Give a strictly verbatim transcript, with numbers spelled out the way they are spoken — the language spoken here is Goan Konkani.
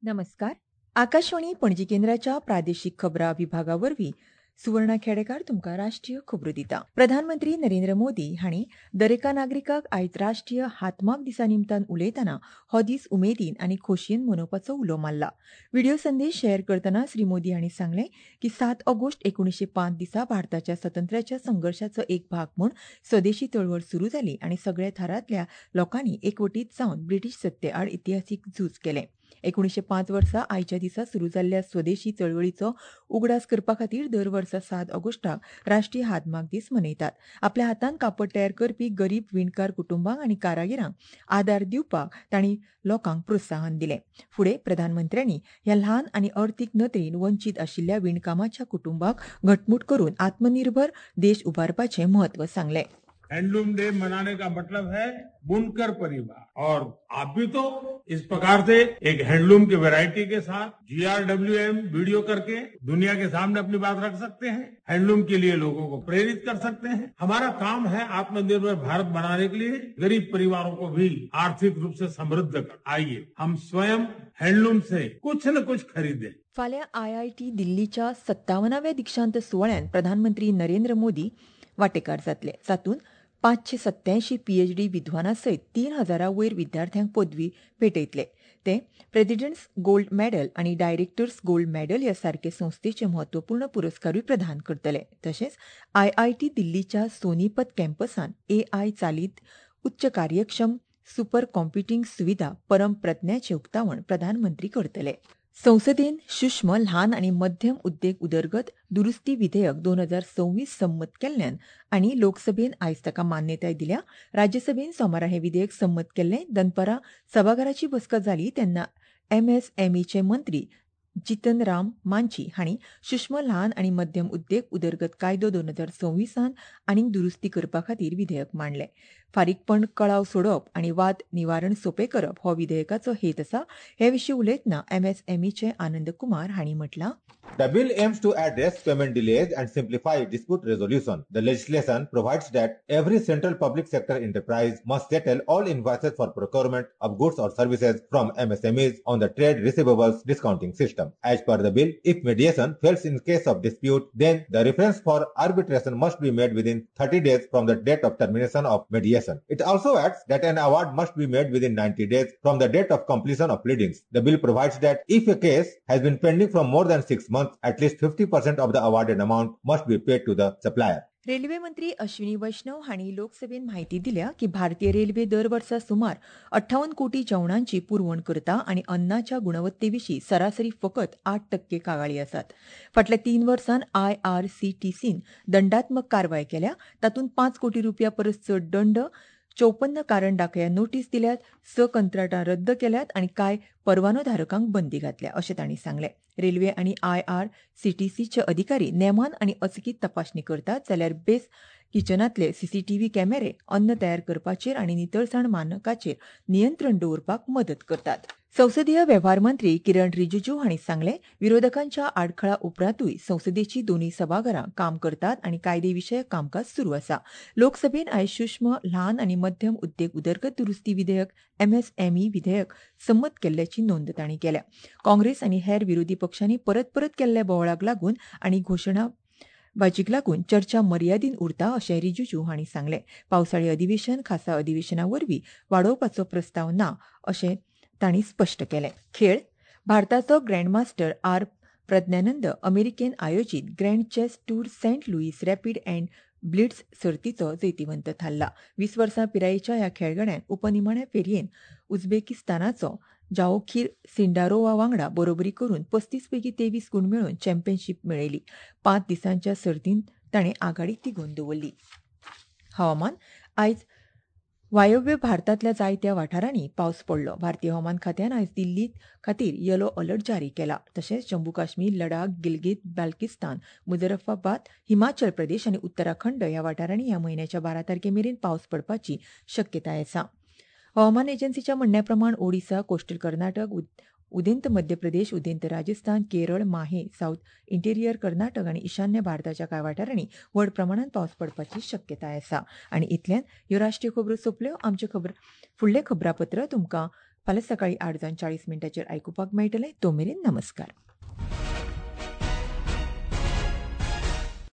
नमस्कार. आकाशवाणी पणजी केंद्राच्या प्रादेशीक खबरां विभागा वरवीं सुवर्णा खेडेकार तुमकां राष्ट्रीय खबरो दिता. प्रधानमंत्री नरेंद्र मोदी हांणी दरेका नागरिकाक आयज राष्ट्रीय हातमाग दिसा निमतान उलयतना हो दीस उमेदीन आनी खोशयेन मनोवपाचो उलो मारला. व्हिडिओ संदेश शेअर करतना श्री मोदी हांणी सांगलें की सात ऑगस्ट एकुणशे पांच दिसा भारताच्या स्वातंत्र्याच्या संघर्शाचो एक भाग म्हूण स्वदेशी चळवळ सुरू जाली आनी सगळ्या थरांतल्या लोकांनी एकवटीत जावन ब्रिटीश सत्तेआड इतिहासीक झूज केलें. एकुणशे पांच वर्सा आयच्या दिसा सुरू जाल्ल्या स्वदेशी चळवळीचो उगडास करपा खातीर दर वर्सा सात ऑगस्टाक राष्ट्रीय हातमाग दीस मनयतात. आपल्या हातान कापड तयार करपी गरीब विणकार कुटुंबांक आनी कारागिरांक आदार दिवपाक तांणी लोकांक प्रोत्साहन दिलें. फुडें प्रधानमंत्र्यांनी ह्या ल्हान आनी अर्थीक नदरेन वंचीत आशिल्ल्या विणकामाच्या कुटुंबाक घटमूट करून आत्मनिर्भर देश उबारपाचें म्हत्व सांगलें. हैंडलूम डे मनाने का मतलब है बुनकर परिवार, और आप भी तो इस प्रकार से एक हैंडलूम की वैरायटी के साथ G R W M video करके दुनिया के सामने अपनी बात रख सकते हैं. हैंडलूम के लिए लोगों को प्रेरित कर सकते हैं. हमारा काम है आत्मनिर्भर भारत बनाने के लिए गरीब परिवारों को भी आर्थिक रूप से समृद्ध कर. आइए हम स्वयं हैंडलूम से कुछ न कुछ खरीदें. फाल्यां I I T दिल्लीच्या सत्तावनाव्या दीक्षांत सुवाळ्यान प्रधानमंत्री नरेंद्र मोदी वांटेकार जातले. तातूंत पांचशे सत्यायंशी पीएचडी विद्वानां सयत तीन हजारा वयर विद्यार्थ्यांक पदवी भेटयतले. ते प्रेसिडेंट्स गोल्ड मेडल आनी डायरेक्टर्स गोल्ड मेडल ह्या सारके संस्थेचे म्हत्वपूर्ण पुरस्कारूय प्रदान करतले. तशेंच I I T दिल्लीच्या सोनीपत कॅम्पसान ए I चालीत उच्च कार्यक्षम सुपर कॉम्प्युटींग सुविधा परम प्रज्ञाचें उक्तावण प्रधानमंत्री करतले. संसदेन सूक्ष्म ल्हान आनी मध्यम उद्देग उदरगत दुरुस्ती विधेयक दोन हजार सव्वीस संमत केल्ल्यान आनी लोकसभेन आयज ताका मान्यताय दिल्या. राज्यसभेन सोमारा हें विधेयक संमत केल्लें. दनपारां सभाघराची बसका जाली तेन्ना एमएसएमईचे मंत्री जितन राम मांझी हांणी सूक्ष्म ल्हान आनी मध्यम उद्देग उदरगत कायदो दोन हजार सव्वीसान आनीक दुरुस्ती करपा खातीर विधेयक मांडलें. फारीकपण कळाव सोडप आनी वाद निवारण सोंपें करप हो विधेयकाचो हेत आसा. हे विशीं उलयतना एमएसएमईचे आनंद कुमार हांणी म्हटलां, The bill aims to address payment delays and simplify dispute resolution. The legislation provides that every central public sector enterprise must settle all invoices for procurement of goods or services from M S M Es on the trade receivables discounting system. As per the bill, if mediation fails in case of dispute, then the reference for arbitration must be made within thirty days from the date of termination of mediation. It also adds that an award must be made within ninety days from the date of completion of pleadings. The bill provides that if a case has been pending for more than six months, at least fifty percent of the awarded amount must be paid to the supplier. Railway मंत्री अश्विनी वैष्णव हांणी लोकसभेन म्हायती दिल्या की भारतीय रेल्वे दर वर्सा सुमार अठ्ठावन्न कोटी जेवणांची पुरवण करता आनी अन्नाच्या गुणवत्ते विशीं सरासरी फकत आठ टक्के कागाळी आसात. फाटल्या तीन वर्सांत I R C T scene दंडात्मक कारवाय केल्या. तातूंत पांच कोटी रुपया परस चड दंड, चौपन्न कारण दाखया नोटीस दिल्यात, स कंत्राटां रद्द केल्यात आनी कांय परवानोधारकांक बंदी घातल्या अशें तांणी सांगलें. रेल्वे आनी I R C T सीचे अधिकारी नेमान आनी अचकीत तपासणी करतात, जाल्यार बेस किचनांतले सीसीटीव्ही कॅमेरे अन्न तयार करपाचेर आनी नितळसाण मानकाचेर नियंत्रण दवरपाक मदत करतात. संसदीय वेव्हार मंत्री किरण रिजिजू हांणी सांगलें, विरोधकांच्या आडखळा उपरांतूय संसदेची दोनूय सभाघरां काम करतात आनी कायदेविशयक कामकाज सुरू आसा. लोकसभेन आयज सूक्ष्म ल्हान आनी मध्यम उद्देग उदरगत दुरुस्ती विधेयक एमएसएमई विधेयक संमत केल्ल्याची नोंद तांणी केल्या. काँग्रेस आनी हेर विरोधी पक्षांनी परत परत केल्ल्या बोवाळाक लागून आनी घोशणा बाजीक लागून चर्चा मर्यादीन उरता अशें रिजिजू हांणी सांगलें. पावसाळी अधिवेशन खासा अधिवेशना वरवीं वाडोवपाचो प्रस्ताव ना अशें तांणी स्पश्ट केलें. खेळ. भारताचो ग्रँडमास्टर आर प्रज्ञानंद अमेरिकेन आयोजीत grand chess tour Saint Louis rapid and blitz सर्तीचो जैतिवंत थारला. वीस वर्सां पिरायेच्या ह्या खेळगड्यान उपनिमाण्या फेरयेन उझबेकिस्तानाचो जाओखीर सिंडारोवा वांगडा बरोबरी करून पस्तीस पैकी तेवीस गूण मेळोवन चॅम्पियनशीप मेळयली. पांच दिसांच्या सर्तींत ताणें आघाडी तिगोवन दवरली. हवामान. आयज वायव्य भारतांतल्या जायत्या वाठारांनी पावस पडलो. भारतीय हवामान खात्यान आयज दिल्ली खातीर येलो अलर्ट जारी केला. तशेंच जम्मू काश्मीर, लडाख, गिलगित बाल्किस्तान, मुजफ्फराबाद, हिमाचल प्रदेश आनी उत्तराखंड ह्या वाठारांनी ह्या म्हयन्याच्या बारा तारखे मेरेन पावस पडपाची शक्यताय आसा. हवामान एजन्सीच्या म्हणण्या प्रमाण ओडिसा, कोस्टल कर्नाटक, उदेंत मध्य प्रदेश, उदेंत राजस्थान, केरळ, माहे, सावथ इंटेरियर कर्नाटक आनी ईशान्य भारताच्या कांय वाठारांनी व्हड प्रमाणांत पावस पडपाची शक्यताय आसा. आनी इतल्यान ह्यो राष्ट्रीय खबरो सोंपल्यो. आमचें खबर फुडलें खबरापत्र तुमकां फाल्यां सकाळीं आठ जावन चाळीस मिनटांचेर आयकुपाक मेळटलें. तो मेरेन नमस्कार.